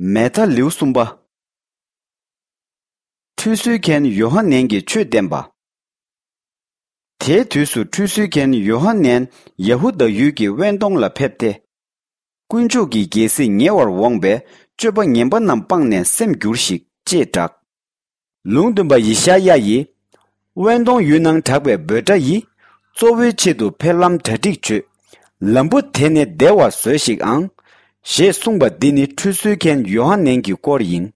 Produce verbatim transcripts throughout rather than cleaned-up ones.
མེ་ཐ་ལེའུ་གསུམ་པ། ཁྲུས་གསོལ་མཁན་ཡོ་ཧ་ནན་གྱིས་ཆོས་བསྟན་པ། དེའི་དུས་སུ་ཁྲུས་གསོལ་མཁན་ཡོ་ཧ་ནན་ཡ་ཧུ་དཱ་ཡུལ་གྱི་དབེན་སྟོང་ལ་ཕེབས་ཏེ། དཀོན་མཆོག་གི་རྒྱལ་སྲིད་ཉེ་བར་འོངས་པས། སྤྱོད་པ་ངན་པ་རྣམས་སྤངས་ནས་སེམས་བསྒྱུར་ཞིག་ཅེས་བསྒྲགས། ལུང་སྟོན་པ་ཡེ་ཤ་ཡ་ཡིས། དབེན་སྟོང་ཡུལ་ནང་གྲགས་པའི་འབོད་སྒྲ་ཡིས། གཙོ་བོའི་ཆེད་དུ་ཕེབས་ལམ་གྲ་སྒྲིག་བྱོས། ལམ་བུ་དེ་ནི་བདེ་བར་བཟོས་ཤིག་ཨང་། ཞེས་གསུངས་པ་འདི་ནི་ཁྲུས་གསོལ་མཁན་ཡོ་ཧ་ནན་གྱི་སྐོར་ཡིན།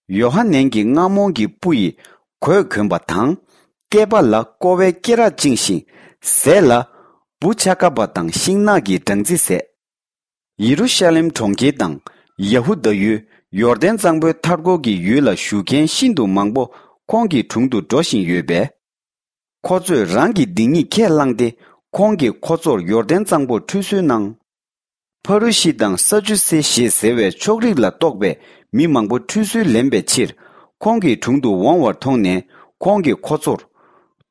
ཡོ་ཧ་ནན་གྱིས་རྔ་མོང་གི་སྤུ་ཡི་གོས་གོན་པ་དང་། སྐེད་པ་ལ་ཀོ་བའི་སྐེ་རགས་བཅིངས་ཤིང་། ཟས་ལ་འབུ་ཆ་ག་པ་དང་ཤིང་ནགས་ཀྱི་སྦྲང་རྩི་བཟས། ཡེ་རུ་ཤ་ལེམ་གྲོང་ཁྱེར་དང་ཡ་ཧུ་དཱ་ཡུལ། ཡོར་དན་གཙང་པོའི་མཐའ་འཁོར་གྱི་ཡུལ་ལ་བཞུགས་མཁན་ཤིན་ཏུ་མང་པོ་ཁོང་གི་དྲུང་དུ་འགྲོ་བཞིན་ཡོད་པས། ཁོ་ཚོས་རང་གི་སྡིག་ཉེས་ཁས་བླངས་ཏེ། ཁོང་གིས་ཁོ་ཚོར་ཡོར་དན་གཙང་པོར་ཁྲུས་གསོལ་གནང་། ཕ་རུ་ཤི་དང་ས་ཅུ་སེ་ཞེས་ཟེར་བའི་ཕྱོགས་རིས་ལ་གཏོགས་པའི་མི་མང་པོ་ཁྲུས་གསོལ་ལེན་པའི་ཕྱིར། ཁོང་གི་དྲུང་དུ་འོང་བར་མཐོང་ནས། ཁོང་གིས་ཁོ་ཚོར།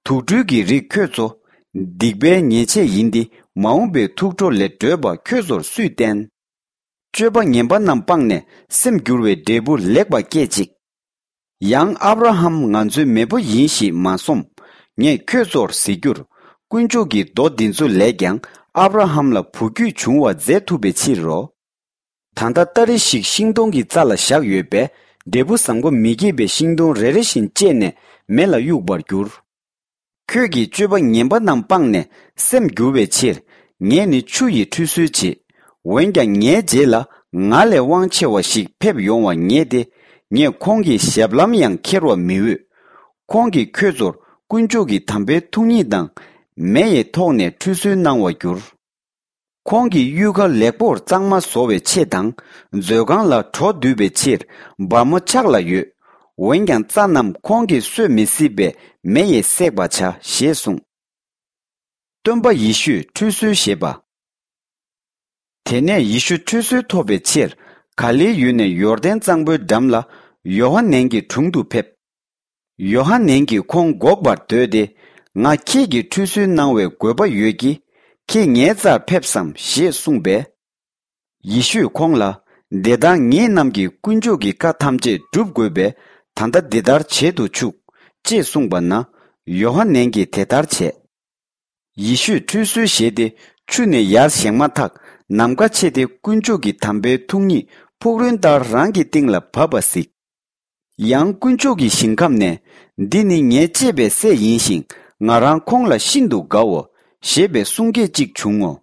དུག་སྦྲུལ་གྱི་རིགས་ཁྱོད་ཚོ། སྡིག་པའི་ཉེས་ཆད་ཡིན་ཏེ། མ་འོངས་པའི་ཐུགས་ཁྲོ་ལས་སྒྲོལ་བ་ཁྱོད་ཚོར་སུས་བསྟན། སྤྱོད་པ་ངན་པ་རྣམས་སྤངས་ནས་སེམས་བསྒྱུར་བའི་འབྲས་བུ་ལེགས་པ་སྐྱེད་ཅིག་ཡང་ཨབ་ར་ཧམ་ང་ཚོའི་མེས་པོ་ཡིན་ཞེས་མ་སོམས། ངས་ཁྱོད་ཚོར་ཟེར་རྒྱུར། དཀོན་མཆོག་གི་མདོ་འདི་ཚོ་ལས་ཀྱང་ཨབ་ར་ཧམ་ལ་བུ་རྒྱུད་འབྱུང་བ་མཛད་ཐུབ་པའི་ཕྱིར་རོ། ད་ལྟ་སྟ་རེ་ཞིག་ཤིང་སྡོང་གི་རྩ་ལ་བཞག་ཡོད་པས། འབྲས་བུ་བཟང་པོ་མི་སྐྱེད་པའི་ཤིང་སྡོང་རེ་རེ་བཞིན་བཅད་ནས་མེ་ལ་གཡུག་པར་འགྱུར། ཁྱོད་ཀྱིས་སྤྱོད་པ་ངན་པ་རྣམས་སྤངས་ནས་སེམས་བསྒྱུར་བའི་ཕྱིར། ངས་ནི་ཆུ་ཡི་ཁྲུས་གསོལ་བྱེད། འོན་ཀྱང་ངའི་རྗེས་ལ་ང་ལས་དབང་ཆེ་བ་ཞིག་ཕེབས་ཡོང་བ་ངེས་ཏེ། ངས་ཁོང་གི་ཞབས་ལྷམ་ཡང་འཁྱེར་བར་མི་འོས། ཁོང་གིས་ཁྱོད་ཚོར་དཀོན་མཆོག་གི་དམ་པའི་ཐུགས་ཉིད་དང་། མེ་ཡི་ཐོག་ནས་ཁྲུས་གསོལ་གནང་བར་འགྱུར། ཁོང་གིས་གཡུལ་ཁ་ལེགས་པོར་གཙང་མ་བཟོ་བའི་ཆེད་དང་། མཛོད་ཁང་ལ་གྲོ་བསྡུ་བའི་ཕྱིར་སྦར་མོ་ཕྱག་ལ་ཡོད། འོན་ཀྱང་རྩྭ་རྣམས་ཁོང་གིས་གསོད་མི་སྲིད་པས་མེ་ཡིས་བསྲེག་པར་བྱ་ཞེས་གསུངས། སྟོན་པ་ཡེ་ཤུས་ཁྲུས་གསོལ་བཞེས་པ། དེ་ནས་ཡེ་ཤུ་ཁྲུས་གསོལ་ཐོབ་པའི་ཕྱིར། ག་ལིལ་ཡུལ་ནས་ཡོར་དན་གཙང་པོའི་འགྲམ་ལ་ཡོ་ཧ་ནན་གྱི་དྲུང་དུ་ཕེབས། ཡོ་ཧ་ནན་གྱིས་ཁོང་འགོག་པར་འདོད་དེ། ང་ཁྱེད་ཀྱིས་ཁྲུས་གསོལ་གནང་བའི་དགོས་པ་ཡོད་ཀྱི། ཁྱེད་ངའི་རྩར་ཕེབས་སམ་ཞེས་གསུངས་པས། ཡེ་ཤུས་ཁོང་ལ། འདི་ལྟར་ངེད་རྣམས་ཀྱིས་དཀོན་མཆོག་གི་བཀའ་ཐམས་ཅད་བསྒྲུབ་དགོས་པས། ད་ལྟ་འདི་ལྟར་བྱེད་དུ་ཆུག་ཅེས་གསུངས་པ་ན། ཡོ་ཧ་ནན་གྱིས་དེ་ལྟར་བྱས། ཡེ་ཤུས་ཁྲུས་གསོལ་བཞེས་ཏེ། ཆུ་ནས་ཡར་བཞེངས་མ་ཐག་ནམ་མཁའ་ཕྱེ་སྟེ། དཀོན་མཆོག་གི་དམ་པའི་ཐུགས་ཉིད་ཕུག་རོན་ལྟར་རང་གི་སྟེང་ལ་བབས་པ་གཟིགས། ཡང་དཀོན་མཆོག་གི་ཞིང་ཁམས་ནས། འདི་ནི་ངའི་གཅེས་པའི་སྲས་ཡིན་ཞིང་། ང་རང་ཁོང་ལ་ཤིན་ཏུ་དགའ་འོ། ཞེས་པའི་གསུང་སྐད་ཅིག་བྱུང་ངོ་།